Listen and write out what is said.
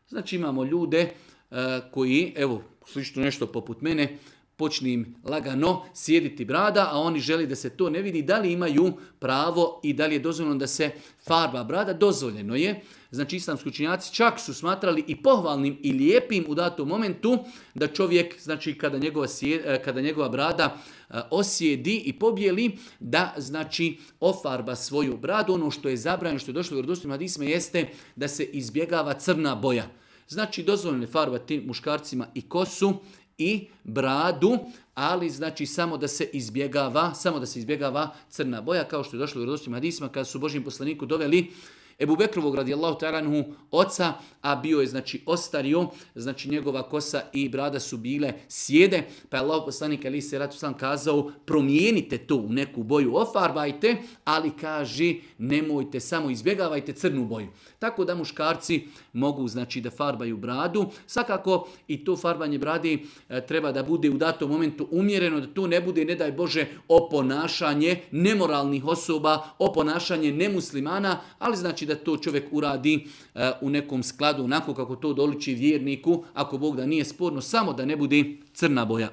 Znači imamo ljude koji, evo, slično nešto poput mene, počne im lagano sjediti brada, a oni žele da se to ne vidi, da li imaju pravo i da li je dozvoljeno da se farba brada. Dozvoljeno je. Znači islamski učenjaci čak su smatrali i pohvalnim i lijepim u datom momentu da čovjek, znači kada njegova brada osjedi i pobjeli, da znači ofarba svoju bradu. Ono što je zabranjeno, što je došlo u vjerodostojnim hadisima jeste da se izbjegava crna boja. Znači dozvoljeno je farbati muškarcima i kosu i bradu, ali znači samo da se izbjegava crna boja, kao što je došlo u vjerodostojnim hadisima kada su Božjem poslaniku doveli Ebu Bekrovog radijallahu ta'ala anhu oca, a bio je znači ostario, znači njegova kosa i brada su bile sjede, pa je Allah poslanik alejhi selatu selam kazao promijenite to u neku boju, ofarbajte, ali kaže nemojte, samo izbjegavajte crnu boju. Tako da muškarci mogu znači da farbaju bradu. Svakako i to farbanje brade treba da bude u datom momentu umjereno, da to ne bude, ne daj Bože, oponašanje nemoralnih osoba, oponašanje nemuslimana, ali znači da to čovjek uradi u nekom skladu, onako kako to doliči vjerniku, ako Bog da nije sporno, samo da ne bude crna boja.